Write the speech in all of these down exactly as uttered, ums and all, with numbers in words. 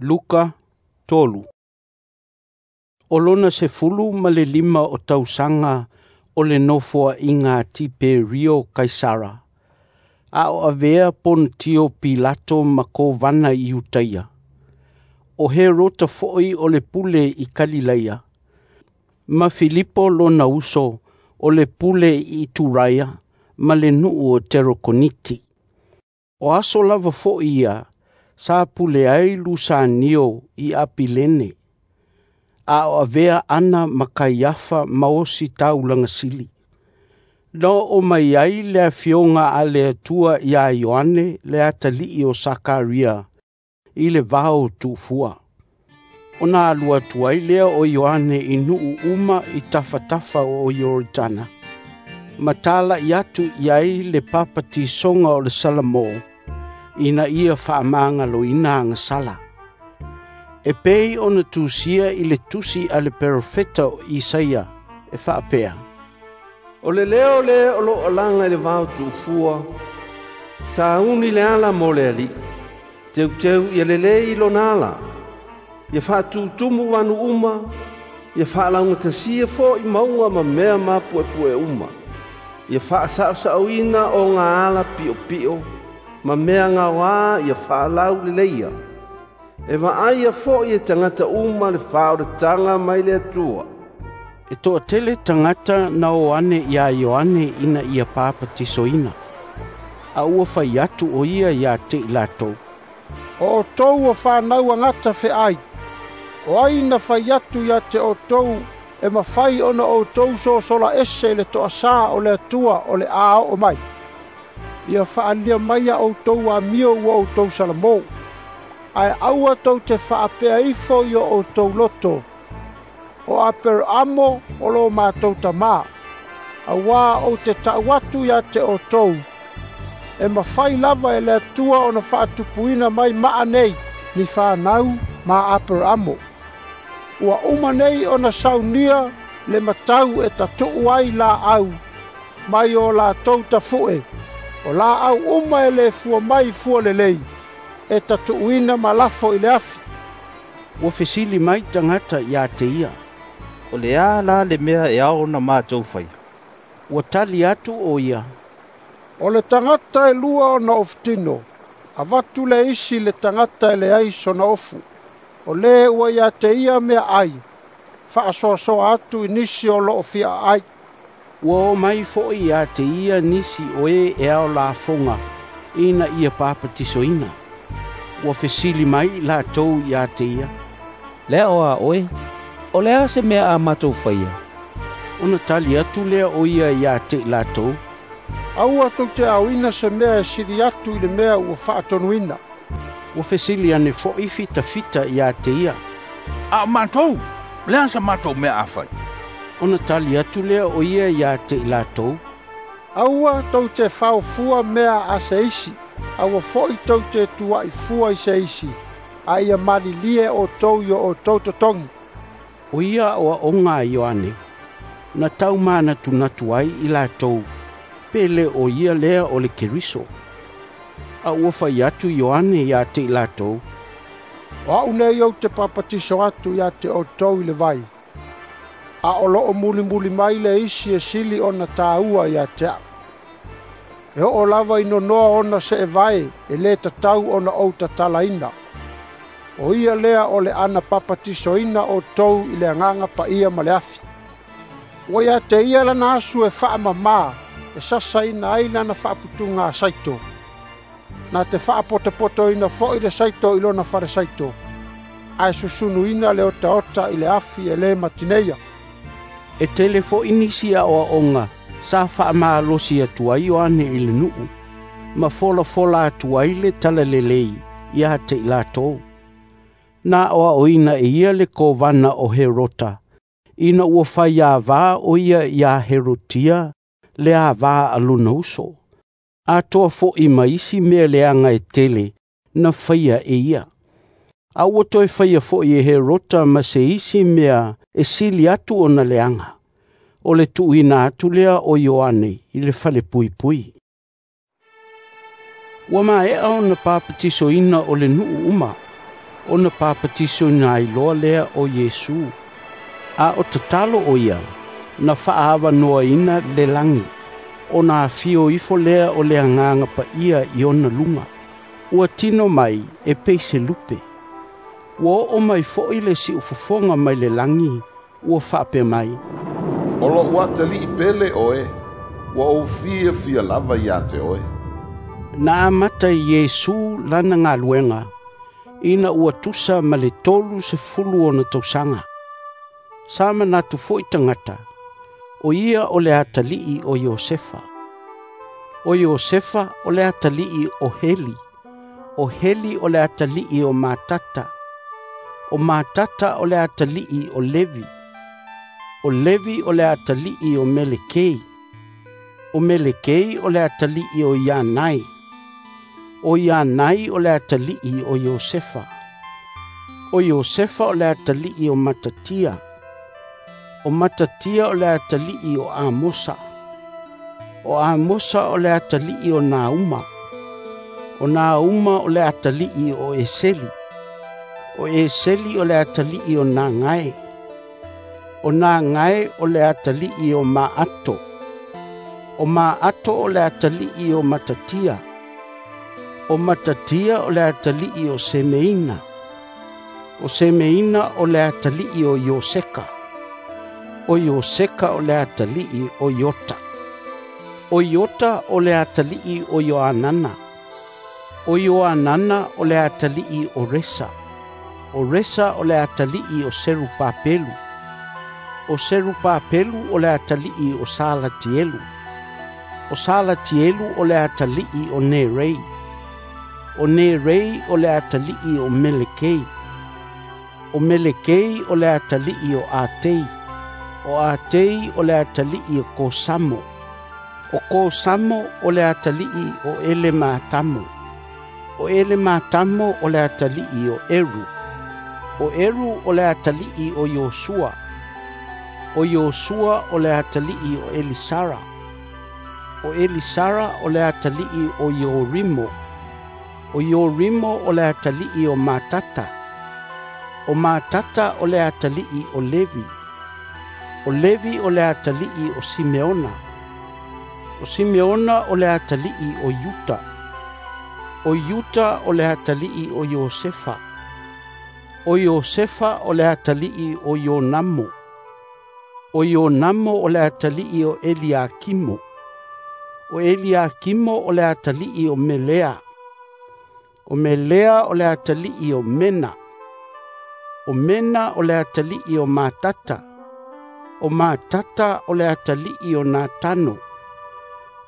Luka tolu. O lona sefulu ma le lima o tausaga o le nofoaiga a Tiperio Kaisara, a o avea Ponitio Pilato ma Kovana i Iutaia, o Herota foi o le pule i Kalilaia, ma Filipo lona uso o le pule i Ituraia ma le nuu o Terokoniti. O aso lava foi ia sa pule ai Lusanio i Apilene, a o avea Ana ma Kaiafa ma Ositaulaga sili. Na oo mai ai le Afioga a le Atua ia Ioane le atalii o Sakaria i le vao tuufua. Ona alu atu ai lea o Ioane i nuu uma i tafatafa o Ioritana, ma talai atu i ai le papatisoga o le salamo, ina ia faamagaloina agasala. E pei ona tusia i le tusi a le perofeta o Isaia e faapea, "O le leo lea o loo alaga i le vao tuufua, sauni le ala mo le Alii, teuteu ia lelei lona ala. Ia faatutumu vanu uma, ia faalaugatasia foi mauga ma mea mapuepue uma. Ia faasaosaoina ogaala piopio, ma mea gaoa ia faalauleleia. E vaaia foi e tagata uma le faaolataga mai le Atua." E toatele tagata na o ane ia Ioane ina ia papatisoina, a ua fai atu o ia ia te i latou, "O outou o fanau a gata feai, o ai na fai atu ia te outou e mafai ona outou sosola ese i le toasā o le Atua o le a oo mai? Ia faaalia mai a outou amio ua outou salamo, ae aua tou te faapea ifo i o outou loto, o Aperaamo o lo matou tamā, auā ou te tau atu ia te outou, e mafai lava e le Atua ona faatupuina mai maa nei ni fanau ma Aperaamo. Ua uma nei ona saunia le matau e tatuu ai laau mai o latou tafu'e. O laau uma e le fua mai fua lelei, e tatuuina ma lafo i le afi." Ua fesili mai tagata ia te ia, "O le a la le mea e ao ona matou faia?" Ua tali atu o ia, "O le tagata e lua ona ofutino, avatu le isi i le tagata e leai sona ofu. O le ua ia te ia meaai, faasoasoa atu i nisi o loo fia aai." Ua o mai foi ia te ia nisi o e e ao lafoga ina ia papatisoina. Ua fesili mai i latou ia te ia, "Le ao a oe, o le a se mea a matou faia?" Ona tali atu lea o ia ia te i latou, "Aua tou te aoina se mea e sili atu i le mea ua faatonuina." Ua fesili ane foi fitafita ia te ia, "A o matou, le a sa matou mea a fai?" Ona tali atu lea o ia ia te i latou, "Aua tou te faofua mea a se isi, aua foi tou te tuai fua i se isi, a ia malilie outou i o outou totogi." O ia aoaoga a Ioane, na taumanatunatu ai i latou, pe le o ia lea o le Keriso. A ua fai atu Ioane ia te i latou, "O au nei ou te papatiso atu ia te outou i le vai, a o loo mulimuli mai le isi e sili ona tāua ia te au. E oo lava i nonoa ona seevae e le tatau ona ou tatalaina. O ia lea o le ana papatisoina outou i le agaga paia ma le afi. Ua ia te ia lana asu e faamamā e sasaina ai lana faaputuga saito. Na te faapotopotoina foi le saito i lona fale saito, ae susunuina le otaota i le afi e le matineia." E tele foi nisi aoaoga sa faamalosi atu ai Ioane i le nuu, ma folafola atu ai le talalelei ia te i latou. Na aoaoina e ia le kovana o Herota, ina ua fai avā o ia ia Herotia le avā a lona uso, atoa foi ma isi mea leaga e tele na faia e ia. A ua toe faia foi e Herota ma se isi mea e sili atu ona leaga, o le tuuina atu lea o Ioane i le falepuipui. Ua maea ona papatisoina o le nuu uma, Ona papatisoina ai loa lea o Iesu. A o tatalo o ia, na faaavanoaina le lagi, ona afio ifo lea o le Agaga Paia i ona luga. Ua tino mai e pei se lupe. Ua oo mai foi le siufofoga mai le lagi, ua faapea mai, “O lo'u Atalii pele oe, ua ou fiafia lava ia te oe.” Na amata e Iesu lana galuega, ina ua tusa ma le tolu sefulu ona tausaga. Sa manatu foi tagata, o ia o le atalii o Iosefa. O Iosefa o le atalii o Heli. O Heli o le atalii o Matata. O Matata o le atalii o Levi. O Levi o le atalii o Melekei. O Melekei o le atalii o Ianai. O Ianai o le atalii o Iosefa. O Iosefa o le atalii o Matatia. O Matatia o le atalii o Amosa. O Amosa o le atalii o Nauma. O Nauma o le atalii o Eseli. O Eseli o le atalii o Nagae. O Nagae o le atalii o Maato. O Maato o le atalii o Matatia. O Matatia o le atalii o Semeina. O Semeina o le atalii o Ioseka. O Ioseka o le atalii o Iota. O Iota o le atalii o Ioanana. O Ioanana o le atalii o Resa. O Resa o le atalii o Serupapelu. O Serupapelu o le atalii o Salatielu. O Salatielu o le atalii o Nerei. O Nerei o le atalii o Melekei. O Melekei o le atalii o Atei. O Atei o le atalii o Kosamo. O Kosamo o le atalii o Elematamo. O Elematamo o le atalii o Eru. O Eru o le atalii o Iosua. O Iosua o le atalii o Elisara. O Elisara o le atalii o Iorimo. O Iorimo o le atalii o Matata. O Matata o le atalii o Levi. O Levi o le atalii o Simeona. O Simeona o le atalii o Iuta. O Iuta o le atalii o Iosefa. O Iosefa o le atalii o Ionamo. O Ionamo o le atalii o Eliakimo. O Eliakimo o le atalii o Melea. O Melea o le atalii o Mena. O Mena o le atalii o Matata. O Matata o le atalii o Natano.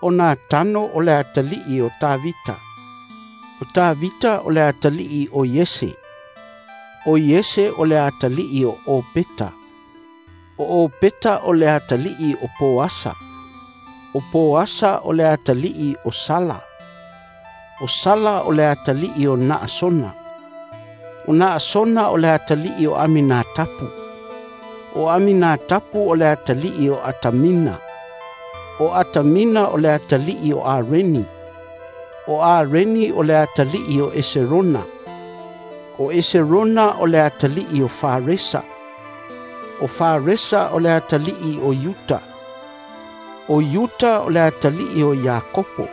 O Natano o le atalii o Tavita. O Tavita o le atalii o Iese. O Iese o le atalii o Opeta. O Opeta o le atalii o Poasa. O Poasa o le atalii o Sala. O Sala o le atalii o Naasona. O Naasona o le atalii o Aminatapu. O Aminatapu o le atalii o Atamina. O Atamina o le atalii o Areni. O Areni o le atalii o Eserona. O Eserona o le atalii o Faresa. O Faresa o le atalii o Iuta. O Iuta o le atalii o Iakopo.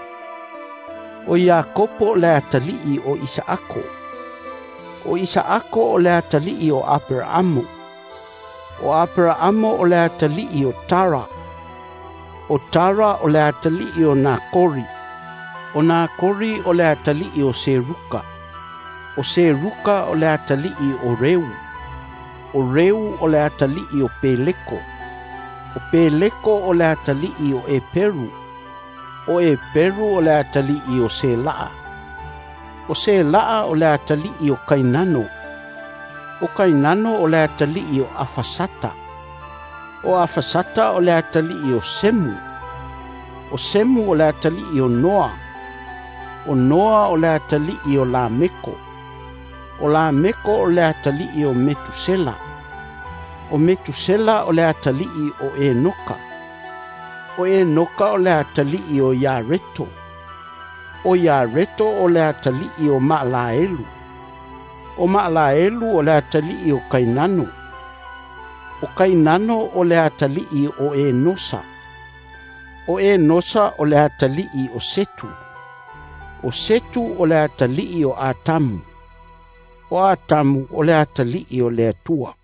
O Iakopo o le atalii o Isaako. O Isaako o le atalii o Aperaamo. O Aperaamo o le atalii o Tara. O Tara o le atalii o Nakori. O Nakori o le atalii o Seruka. O Seruka o le atalii o Reu. O Reu o le atalii o Peleko. O Peleko o le atalii o Eperu. O Eperu o le atalii o Selaa. O Selaa o le atalii o Kainano. O Kainano o le atalii o Afasata. O Afasata o le atalii o Semu. O Semu o le atalii o Noa. O Noa o le atalii o Lameko. O Lameko o le atalii o Metusela. O Metusela o le atalii o Enoka. O Enoka o le atalii o Iareto. O Iareto o le atalii o Maalaelu. O Maalaelu o le atalii o Kainano. O Kainano o le atalii o Enosa. O Enosa o le atalii o Setu. O Setu o le atalii o Atamu. O Atamu o le atalii o le Atua.